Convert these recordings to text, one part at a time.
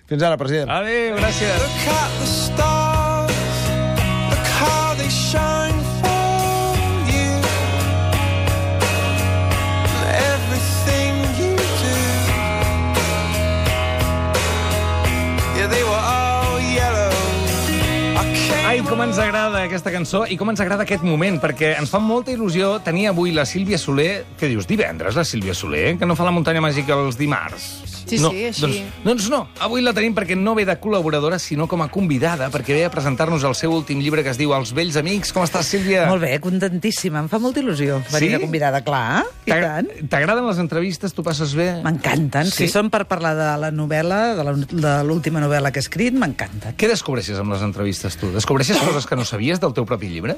Fins ara, president. Adéu, gràcies. Look at the stars, look how they shine for you. Everything you do, yeah, they were all yellow. Ai, com ens agrada aquesta cançó i com ens agrada aquest moment, perquè ens fa molta il·lusió tenir avui la Sílvia Soler. Què dius, divendres, la Sílvia Soler? Que no fa la muntanya màgica els dimarts? Sí, no, sí, així. Doncs no, avui la tenim perquè no ve de col·laboradora, sinó com a convidada, perquè ve a presentar-nos el seu últim llibre que es diu Els vells amics. Com estàs, Sílvia? Molt bé, contentíssima. Em fa molta il·lusió venir de convidada, clar. I tant. T'agraden les entrevistes? Tu passes bé? M'encanten. Sí? Si són per parlar de la novel·la, de l'última novel·la que he escrit, m'encanten. Què descobreixes amb les entrevistes, tu? Descobreixes coses que no sabies del teu propi llibre?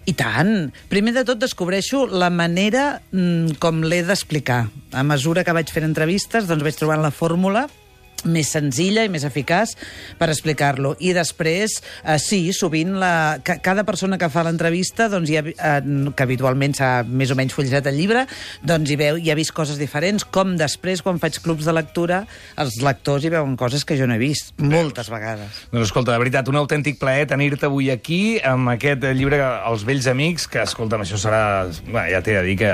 I tant. Primer de tot descobreixo la manera com l'he d'explicar. A mesura que vaig fent entrevistes, doncs vaig trobant la fórmula més senzilla i més eficaç per explicar-lo. I després, sí, sovint cada persona que fa l'entrevista, doncs, que habitualment s'ha més o menys fullejat el llibre, doncs hi ha vist coses diferents, com després, quan faig clubs de lectura, els lectors hi veuen coses que jo no he vist, moltes vegades. Doncs escolta, de veritat, un autèntic plaer tenir-te avui aquí amb aquest llibre Els vells amics, que, escolta'm, això serà... Bé, ja t'he de dir que...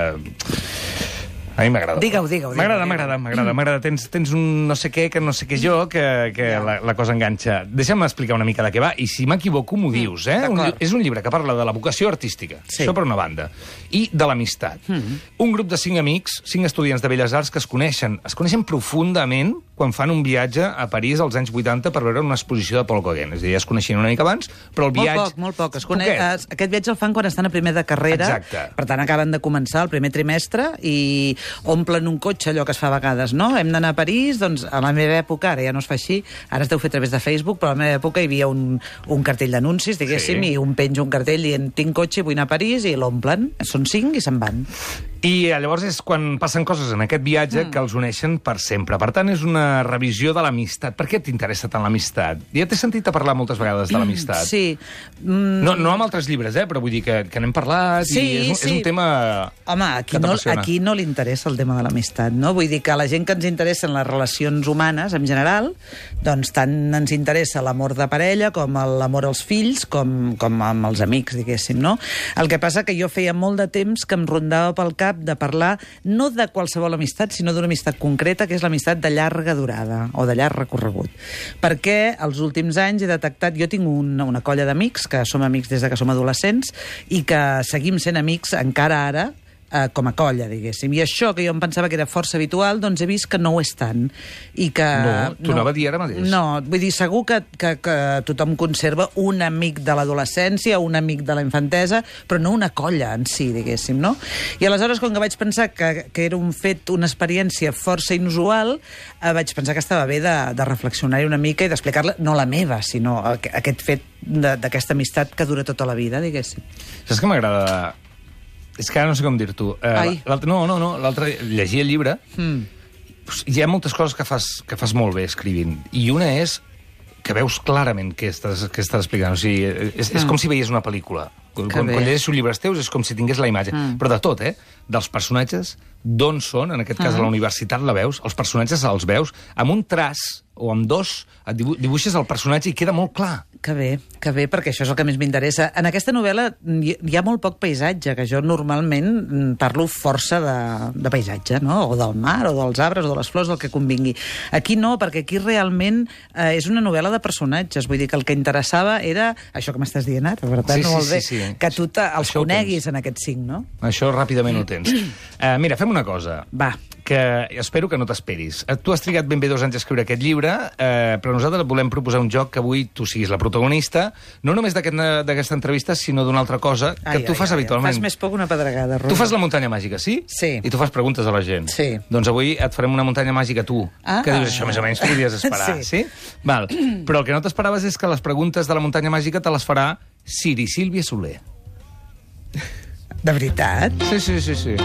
A mi m'agrada. Digue-ho. M'agrada. Tens un no sé què, que no sé què jo, que la cosa enganxa. Deixa'm explicar una mica de què va, i si m'equivoco m'ho dius, eh? És un llibre que parla de la vocació artística, això per una banda, i de l'amistat. Un grup de 5 amics, 5 estudiants de Belles Arts que es coneixen profundament quan fan un viatge a París als anys 80 per veure una exposició de Paul Gauguin. És a dir, ja es coneixien una mica abans, però el viatge... Molt poc. Aquest viatge el fan quan estan a primer de carrera. Exacte. Per tant, acaben de començar el primer trimestre i omplen un cotxe, allò que es fa a vegades, no? Hem d'anar a París, doncs a la meva època, ara ja no es fa així, ara es deu fer a través de Facebook, però a la meva època hi havia un cartell d'anuncis, diguéssim, i un penja un cartell dient tinc cotxe, vull anar a París, i l'omplen. Són 5 i se'n van. I llavors és quan passen coses en aquest viatge que els uneixen per sempre. Per tant, és una revisió de l'amistat. Per què t'interessa tant l'amistat? Ja t'he sentit a parlar moltes vegades de l'amistat. Sí. No amb altres llibres, però vull dir que n'hem parlat i és un tema... Home, aquí no li interessa el tema de l'amistat, no? Vull dir que a la gent que ens interessen les relacions humanes, en general, doncs tant ens interessa l'amor de parella com l'amor als fills, com amb els amics, diguéssim, no? El que passa que jo feia molt de temps que em rondava pel cap de parlar no de qualsevol amistat, sinó d'una amistat concreta, que és l'amistat de llarga durada o de llarg recorregut. Perquè els últims anys he detectat... Jo tinc una colla d'amics, que som amics des de que som adolescents, i que seguim sent amics encara ara, com a colla, diguéssim. I això, que jo em pensava que era força habitual, doncs he vist que no ho és tant. I que... No, t'ho anava a dir ara mateix. No, vull dir, segur que tothom conserva un amic de l'adolescència, un amic de la infantesa, però no una colla en si, diguéssim, no? I aleshores, com que vaig pensar que era un fet, una experiència força inusual, vaig pensar que estava bé de reflexionar-hi una mica i d'explicar-la, no la meva, sinó aquest fet d'aquesta amistat que dura tota la vida, diguéssim. Saps que m'agrada... És que ara no sé com dir-t'ho. L'altre, llegir el llibre, hi ha moltes coses que fas molt bé escrivint. I una és que veus clarament què estàs explicant. O sigui, és com si veies una pel·lícula. Quan llegeixes un llibre teus és com si tingués la imatge. Però de tot, dels personatges, d'on són, en aquest cas a la universitat la veus, els personatges els veus, amb un traç o amb dos, dibuixes el personatge i queda molt clar. Que bé, perquè això és el que més m'interessa. En aquesta novel·la hi ha molt poc paisatge, que jo normalment parlo força de paisatge, no? O del mar, o dels arbres, o de les flors, del que convingui. Aquí no, perquè aquí realment és una novel·la de personatges. Vull dir que el que interessava era això que m'estàs dient ara, per tant, molt bé, que tu els coneguis en aquests 5, no? Això ràpidament ho tens. Mira, fem una cosa. Va. Que espero que no t'esperis. Tu has trigat ben bé 2 anys a escriure aquest llibre, però nosaltres volem proposar un joc que avui tu siguis la protagonista, no només d'aquesta entrevista, sinó d'una altra cosa que tu fas habitualment. Fas més poc una pedregada, Rosa. Tu fas la muntanya màgica, sí? Sí. I tu fas preguntes a la gent. Sí. Doncs avui et farem una muntanya màgica tu, que dius això més o menys podries esperar, sí? Val. Però el que no t'esperaves és que les preguntes de la muntanya màgica te les farà Siri Sílvia Soler. De veritat? Sí.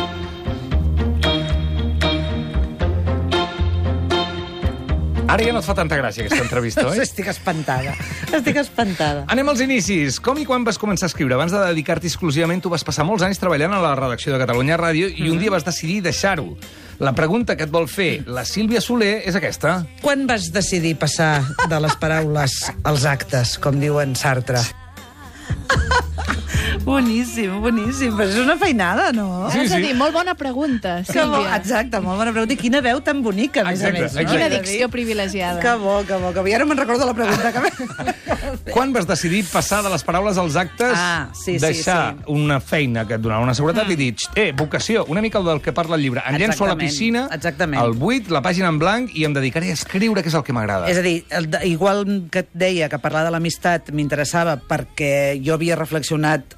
Ara ja no et fa tanta gràcia, aquesta entrevista, oi? Estic espantada. Anem als inicis. Com i quan vas començar a escriure? Abans de dedicar-t'hi exclusivament, tu vas passar molts anys treballant a la redacció de Catalunya Ràdio i un dia vas decidir deixar-ho. La pregunta que et vol fer la Sílvia Soler és aquesta. Quan vas decidir passar de les paraules als actes, com diuen Sartre? Boníssim, boníssim. Però és una feinada, no? Sí, És a sí. dir, molt bona pregunta, Sílvia. Exacte, molt bona pregunta. I quina veu tan bonica, a més a més. No? Quina dicció privilegiada. Que bo, que bo, que bo. I ara me'n recordo la pregunta que Quan vas decidir passar de les paraules als actes, deixar una feina que et donava una seguretat i dir, vocació, una mica del que parla el llibre. Em llenço a la piscina, al buit, la pàgina en blanc, i em dedicaré a escriure, que és el que m'agrada. És a dir, igual que et deia que parlar de l'amistat m'interessava perquè jo havia reflexionat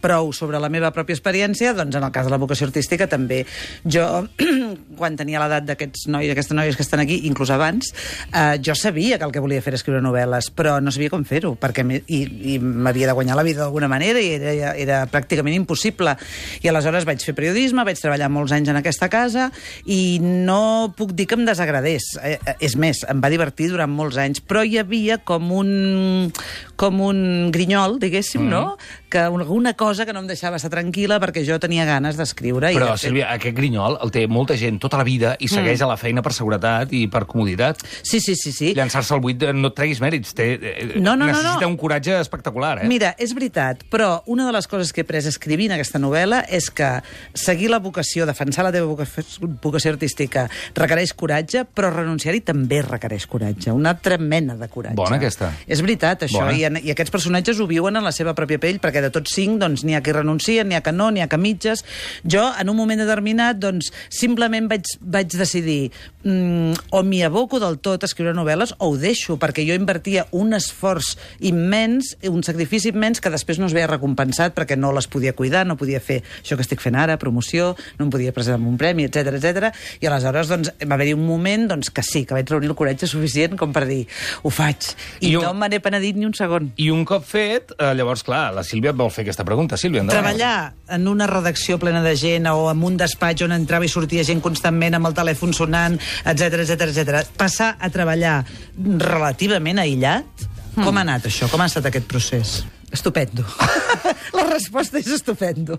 prou sobre la meva pròpia experiència, doncs en el cas de la vocació artística també. Jo, quan tenia l'edat d'aquests nois i aquestes noies que estan aquí, inclús abans, jo sabia que el que volia fer era escriure novel·les, però no sabia com fer-ho, perquè i m'havia de guanyar la vida d'alguna manera i era pràcticament impossible. I aleshores vaig fer periodisme, vaig treballar molts anys en aquesta casa i no puc dir que em desagradés. És més, em va divertir durant molts anys, però hi havia com un grinyol, diguéssim, no? Que alguna cosa que no em deixava estar tranquil·la perquè jo tenia ganes d'escriure. Però, Sílvia, aquest grinyol el té molta gent tota la vida i segueix a la feina per seguretat i per comoditat. Sí. Llançar-se al buit no et treguis mèrits. Necessita un coratge espectacular, eh? Mira, és veritat, però una de les coses que he après escrivint aquesta novel·la és que seguir la vocació, defensar la teva vocació artística requereix coratge, però renunciar-hi també requereix coratge. Una altra mena de coratge. Bona, aquesta. És veritat, això. I aquests personatges ho viuen en la seva pròpia pell, perquè de tots 5, doncs, n'hi ha que renuncien, n'hi ha que no, n'hi ha que mitges. Jo, en un moment determinat, doncs, simplement vaig decidir o m'hi aboco del tot a escriure novel·les o ho deixo, perquè jo invertia un esforç immens, un sacrifici immens que després no es veia recompensat perquè no les podia cuidar, no podia fer això que estic fent ara, promoció, no em podia presentar un premi, etc. I aleshores doncs, va haver-hi un moment doncs, que sí, que vaig reunir el coratge suficient com per dir, ho faig. I no me n'he penedit ni un segon. I un cop fet, llavors, clar, la Sílvia et vol fer aquesta pregunta. Sílvia, endavant. Treballar en una redacció plena de gent o en un despatx on entrava i sortia gent constantment amb el telèfon sonant, etc. Passar a treballar relativament aïllat, com ha anat això? Com ha estat aquest procés? Estupendo. La resposta és estupendo.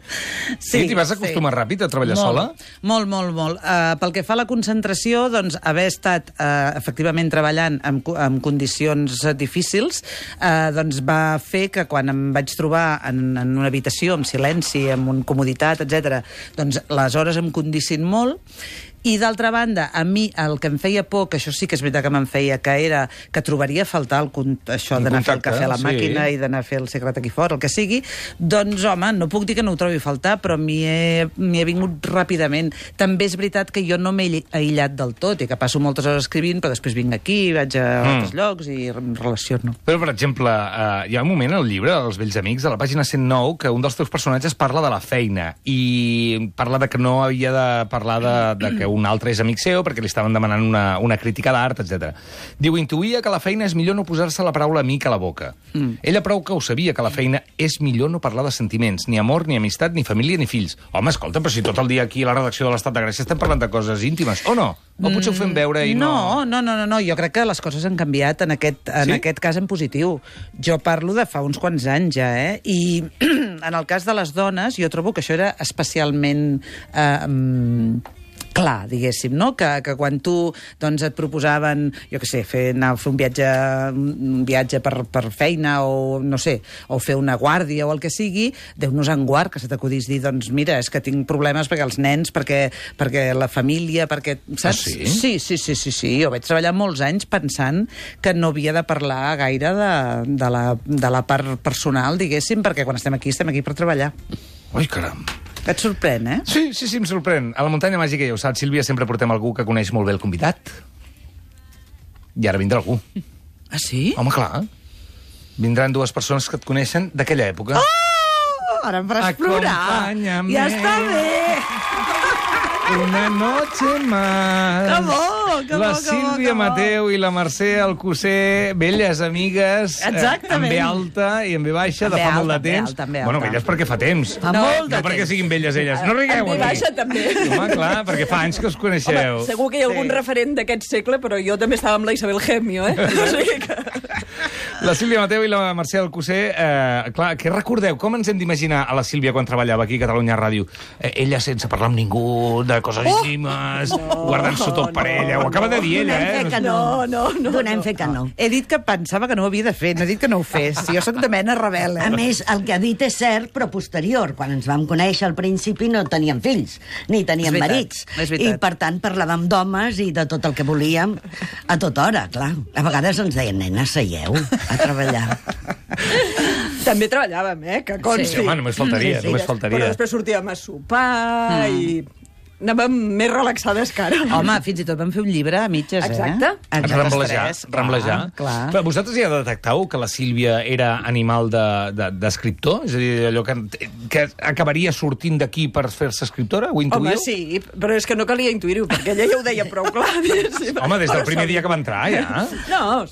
Sí, t'hi vas acostumar ràpid a treballar sola? Molt. Pel que fa a la concentració, doncs, haver estat efectivament treballant en condicions difícils, doncs va fer que quan em vaig trobar en una habitació amb silenci, amb comoditat, etc., doncs les hores em condicin molt. I, d'altra banda, a mi el que em feia por, que això sí que és veritat que me'n feia, que era que trobaria a faltar això d'anar a fer el cafè a la màquina i d'anar a fer el secret aquí fora, el que sigui, doncs, home, no puc dir que no ho trobi a faltar, però m'hi he vingut ràpidament. També és veritat que jo no m'he aïllat del tot i que passo moltes hores escrivint, però després vinc aquí, vaig a altres llocs i em relaciono. Però, per exemple, hi ha un moment al llibre, Els vells amics, a la pàgina 109, que un dels teus personatges parla de la feina i parla de que no havia de parlar de que un altre és amic seu perquè li estaven demanant una crítica d'art, etc. Diu, intuïa que la feina és millor no posar-se la paraula amic a la boca. Ella prou que ho sabia, que la feina és millor no parlar de sentiments, ni amor, ni amistat, ni família, ni fills. Home, escolta, però si tot el dia aquí a la redacció de l'Estat de Gràcia estem parlant de coses íntimes, o no? O potser ho fem veure i no... No, jo crec que les coses han canviat en aquest cas en positiu. Jo parlo de fa uns quants anys ja, I en el cas de les dones jo trobo que això era especialment... clar, diguéssim, no? Que quan tu doncs, et proposaven, jo què sé, anar a fer un viatge per feina o, no sé, o fer una guàrdia o el que sigui, Déu-nos en guard que se t'acudís dir, doncs mira, és que tinc problemes perquè els nens, perquè la família, perquè... Saps? Ah, sí? Sí. Jo vaig treballar molts anys pensant que no havia de parlar gaire de la part personal, diguéssim, perquè quan estem aquí per treballar. Ui, caram. Et sorprèn, eh? Sí, em sorprèn. A la muntanya màgica, ja ho saps, Sílvia, sempre portem algú que coneix molt bé el convidat. I ara vindrà algú. Ah, sí? Home, clar. Vindran dues persones que et coneixen d'aquella època. Oh! Ara em faràs plorar. Acompáñame. Ja està bé. Una noche más. Que bo, La Sílvia Mateu i la Mercè Alcocer, velles amigues, amb B alta i amb B baixa de fa molt de temps. Bueno, velles perquè fa temps. No perquè siguin velles elles. No rigueu aquí. Amb B baixa també. Home, clar, perquè fa anys que us coneixeu. Home, segur que hi ha algun referent d'aquest segle, però jo també estava amb la Isabel Gemio, O sigui que... La Sílvia Mateu i la Mercè Alcocer, clar, què recordeu? Com ens hem d'imaginar a la Sílvia quan treballava aquí a Catalunya Ràdio? Ella sense parlar amb ningú, de coses íntimes, guardant-s'ho tot per ella. Ho acaba de dir ella, Donem fe que no. He dit que pensava que no ho havia de fer, no he dit que no ho fes. Jo sóc de mena rebel, A més, el que ha dit és cert, però posterior. Quan ens vam conèixer al principi no teníem fills, ni teníem marits. I, per tant, parlàvem d'homes i de tot el que volíem a tota hora, clar. A vegades ens deien, nena, seieu a treballar. També treballàvem, que consti. Sí, home, només faltaria, només faltaria. Però després sortíem a sopar i anàvem més relaxades que ara. Home, fins i tot vam fer un llibre a mitges, Exacte. Ramblejar. Clar. Però vosaltres ja detectau que la Sílvia era animal d'escriptor? És a dir, allò que acabaria sortint d'aquí per fer-se escriptora? Ho intuïu? Home, sí, però és que no calia intuir-ho, perquè ella ja ho deia prou clar. Home, des del primer dia que va entrar, ja. No,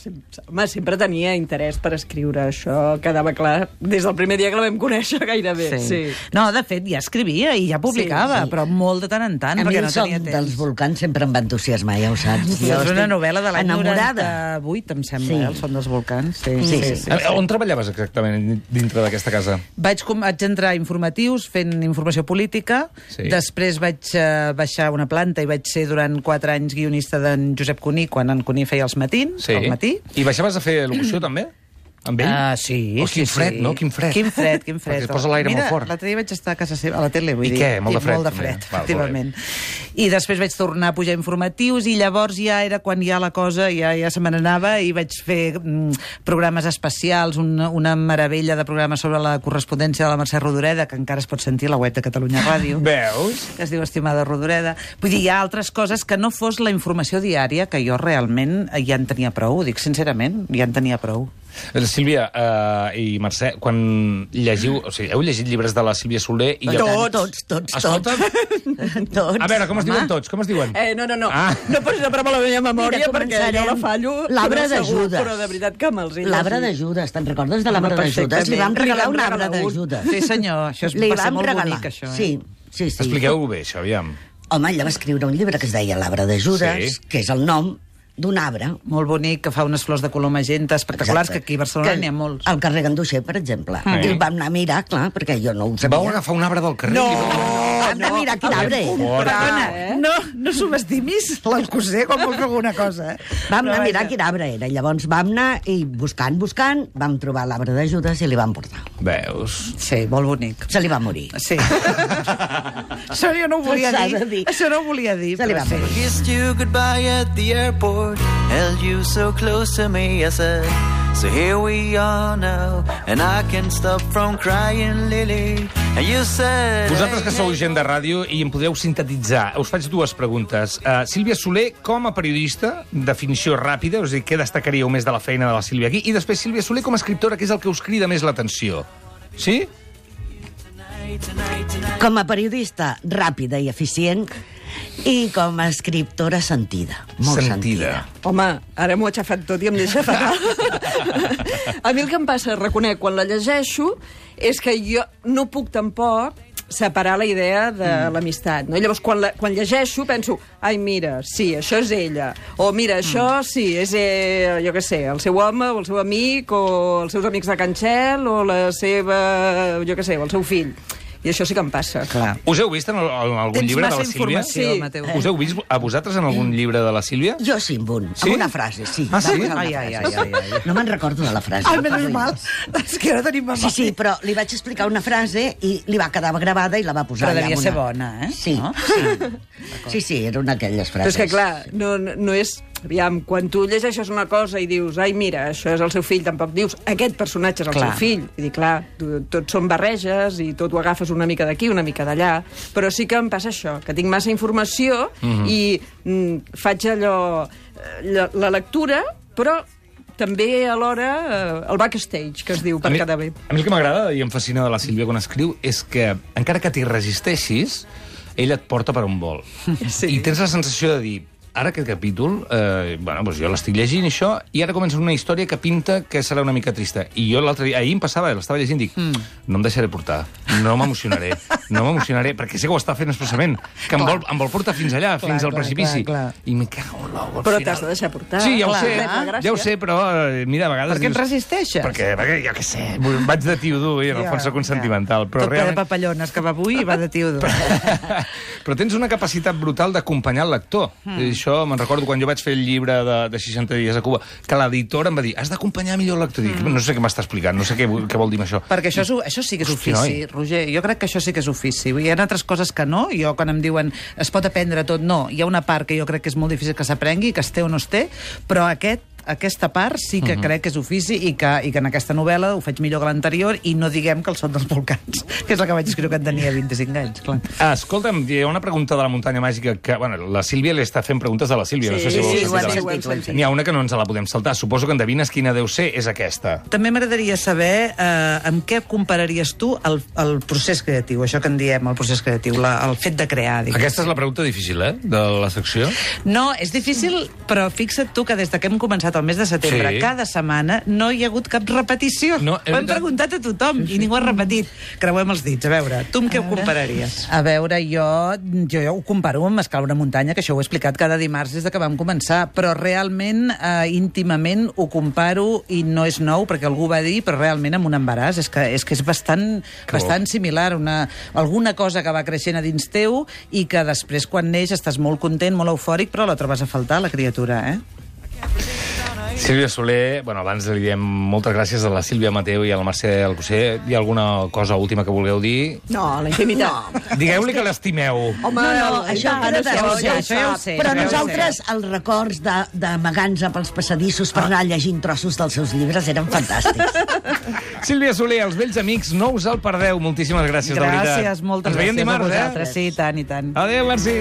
sempre tenia interès per escriure. Això quedava clar des del primer dia que la vam conèixer gairebé. Sí. No, de fet, ja escrivia i ja publicava, però molt de tant en tant, perquè no tenia temps. dels volcans sempre em va entusiasmar, ja ho saps. És una novel·la de l'any enamorada. 98, em sembla, el son dels volcans. Sí. On treballaves exactament dintre d'aquesta casa? Vaig entrar a informatius fent informació política, després vaig baixar una planta i vaig ser durant 4 anys guionista d'en Josep Cuní, quan en Cuní feia els matins, al matí. I baixaves a fer locució, també? Amb ell? Sí. Quin fred, no? Quin fred. Quin fred. Perquè es posa l'aire molt fort. L'altre dia vaig estar a casa seva, a la tele, vull dir. I què? Molt de fred. Molt de fred, efectivament. I després vaig tornar a pujar informatius i llavors ja era quan ja la cosa ja se me n'anava i vaig fer programes especials, una meravella de programes sobre la correspondència de la Mercè Rodoreda, que encara es pot sentir a la web de Catalunya Ràdio. Veus? Que es diu Estimada Rodoreda. Vull dir, hi ha altres coses que no fos la informació diària, que jo realment ja en tenia prou, dic sincerament, ja en tenia prou. Sílvia i Mercè, quan llegiu... O sigui, heu llegit llibres de la Sílvia Soler i... Tots. Escolta, a veure, com es diuen tots? Com es diuen? No. No posis a prova la meva memòria perquè jo la fallo. L'arbre de Judes. Però de veritat que me'ls he llegit. L'arbre de Judes, te'n recordes de l'arbre de Judes? Li vam regalar un arbre de Judes. Sí, senyor, això va ser molt bonic, això. Sí. Expliqueu-ho bé, això, aviam. Home, ella va escriure un llibre que es deia L'arbre de Judes, que és el nom d'un arbre. Molt bonic, que fa unes flors de color magenta espectaculars, que aquí a Barcelona n'hi ha molts. Al carrer Ganduixer, per exemple. I el vam anar a mirar, clar, perquè jo no ho sabia. Vau agafar un arbre del carrer? No! Vam anar a mirar quin arbre era. No subestimis l'Alcocer quan vol fer alguna cosa. Vam anar a mirar quin arbre era. Llavors vam anar i buscant, vam trobar l'arbre de Judes i li vam portar. Veus? Sí, molt bonic. Se li va morir. Sí. Això jo no ho volia dir. Això no ho volia dir. Se li va morir. Kissed you goodbye at the airport, held you so close to me, I said, so here we are now, and I can't stop from crying, Lily, and you said... Vosaltres que sou gent de ràdio i em podeu sintetitzar, us faig 2 preguntes. Sílvia Soler, com a periodista, definició ràpida, és a dir, què destacaríeu més de la feina de la Sílvia aquí? I després Sílvia Soler com a escriptora, que és el que us crida més l'atenció. Sí? Com a periodista, ràpida i eficient, i com a escriptora sentida. Molt sentida. Home, ara m'ho ha aixafat tot i em deixa fatal. A mi el que em passa, reconec, quan la llegeixo, és que jo no puc tampoc separar la idea de l'amistat, no? I llavors, quan llegeixo, penso, ai, mira, sí, això és ella. O, mira, això, sí, és, jo què sé, el seu home, o el seu amic, o els seus amics de Can Txell, o la seva, jo què sé, o el seu fill. I això sí que em passa. Clar. Us heu vist en algun llibre de la Sílvia? Sí. Mateu. Us heu vist a vosaltres en algun llibre de la Sílvia? Jo sí, amb una frase, sí. Ah, sí? Ai. No me'n recordo de la frase. Ai, menys mal. És que ara tenim memòria. Sí, però li vaig explicar una frase i li va quedar gravada i la va posar allà. Però devia ser bona, eh? Sí, no? Sí, era una d'aquelles frases. Però és que, clar, no és... Aviam, quan tu llegeixes una cosa i dius, ai, mira, això és el seu fill, tampoc dius, aquest personatge és el seu fill. I dic, clar, tots són barreges i tot ho agafes una mica d'aquí, una mica d'allà, però sí que em passa això, que tinc massa informació i faig allò, la lectura, però també alhora el backstage, que es diu, per quedar bé. A mi el que m'agrada i em fascina de la Sílvia quan escriu és que, encara que t'hi resisteixis, ella et porta per on vol. Sí. I tens la sensació de dir, ara aquest capítol, doncs jo l'estic llegint, això, i ara comença una història que pinta que serà una mica trista. I jo l'altre dia, ahir em passava, l'estava llegint, dic, no em deixaré portar, no m'emocionaré, perquè sé que ho està fent expressament, que em vol portar fins allà, fins al precipici. I me cago en l'ou, al final. Però t'has de deixar portar. Sí, ja ho sé, però mira, a vegades... Per què et resisteixes? Perquè jo què sé, vaig de tio dur i en el fons soc un sentimental. Tot ple de papallones que va avui i va de tio dur. Però tens una capacitat brutal d'acompanyar el lector. Això me'n recordo quan jo vaig fer el llibre de 60 dies a Cuba, que l'editor em va dir, has d'acompanyar millor el lector. Dic, no sé què m'està explicant, no sé què vol dir això. Perquè això sí que és ofici, Roger. Jo crec que això sí que és ofici. Hi ha altres coses que no. Jo, quan em diuen es pot aprendre tot, no. Hi ha una part que jo crec que és molt difícil que s'aprengui, que es té o no es té, però aquesta part sí que crec que és ofici i que en aquesta novel·la ho faig millor que l'anterior i no diguem que el Son dels Volcans, que és la que vaig escriure quan tenia 25 anys. Clar. Escolta'm, hi ha una pregunta de la muntanya màgica que, bueno, la Sílvia li està fent preguntes de la Sílvia. No sé si vols N'hi ha una que no ens la podem saltar. Suposo que endevines quina deu ser, és aquesta. També m'agradaria saber amb què compararies tu el procés creatiu, això que en diem, el procés creatiu, el fet de crear. Diguem. Aquesta és la pregunta difícil, de la secció? No, és difícil, però fixa't tu que des que hem començat el mes de setembre, cada setmana no hi ha hagut cap repetició. Ho hem preguntat a tothom i ningú ha repetit. Creuem els dits. A veure, tu amb què ho compararies? A veure, jo ho comparo amb escalar una muntanya, que això ho he explicat cada dimarts des que vam començar, però realment, íntimament, ho comparo i no és nou, perquè algú va dir, però realment amb un embaràs. És que és bastant similar. Alguna cosa que va creixent a dins teu i que després, quan neix, estàs molt content, molt eufòric, però la trobes a faltar, la criatura, Sílvia Soler, abans li diem moltes gràcies a la Sílvia Mateu i al Mercè Alcocer. Hi ha alguna cosa última que vulgueu dir? No, la intimitat. No. Digueu-li que l'estimeu. Home, això queda de Roger. Però nosaltres, els records d'amagar-nos pels passadissos per anar llegint trossos dels seus llibres eren fantàstics. Sílvia Soler, els vells amics, no us el perdeu. Moltíssimes gràcies, de veritat. Gràcies, moltes gràcies a vosaltres. Sí, tant i tant. Adéu, merci.